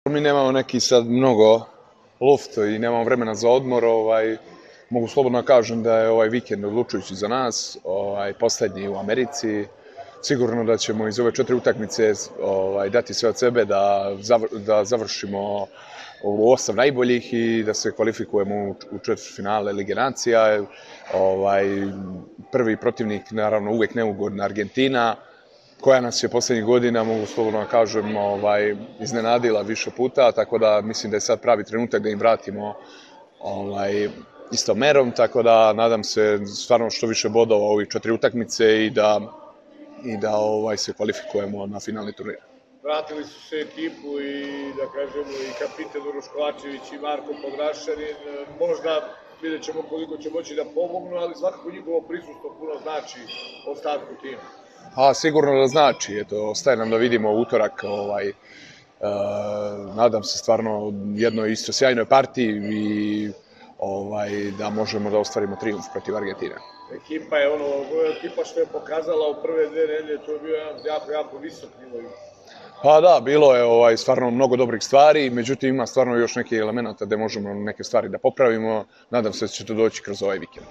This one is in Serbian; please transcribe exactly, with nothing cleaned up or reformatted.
Mi nemamo neki sad mnogo lufta i nemamo vremena za odmor, ovaj, mogu slobodno kažem da je ovaj vikend odlučujući za nas, ovaj, poslednji u Americi. Sigurno da ćemo iz ove četiri utakmice ovaj, dati sve od sebe da, zavr, da završimo u osam najboljih i da se kvalifikujemo u, u četvrtfinale Lige nacija. Ovaj, prvi protivnik, naravno, uvek neugodna Argentina, koja nas je poslednjih godina, mogu slobodno da kažem, ovaj, iznenadila više puta, tako da mislim da je sad pravi trenutak da im vratimo ovaj, istom merom, tako da nadam se stvarno što više bodova u ovih četiri utakmice i da, i da ovaj, se kvalifikujemo na finalni turnir. Vratili su se ekipu i, da kažemo, i kapitan Uroš Kovačević i Marko Podrašanin. Možda vidjet ćemo koliko će moći da pomognu, ali svakako njihovo prisustvo puno znači ostatku tima. A, sigurno da znači, eto, ostaje nam da vidimo utorak, ovaj, e, nadam se stvarno jednoj isto sjajnoj partiji i ovaj, da možemo da ostvarimo trijumf protiv Argentine. Ekipa je ono, ekipa što je pokazala u prve dve nedelje, to je bio jedan jako, jako visok nivo. Pa da, bilo je ovaj, stvarno mnogo dobrih stvari, međutim ima stvarno još neke elemenata gde možemo neke stvari da popravimo, nadam se da će to doći kroz ovaj vikend.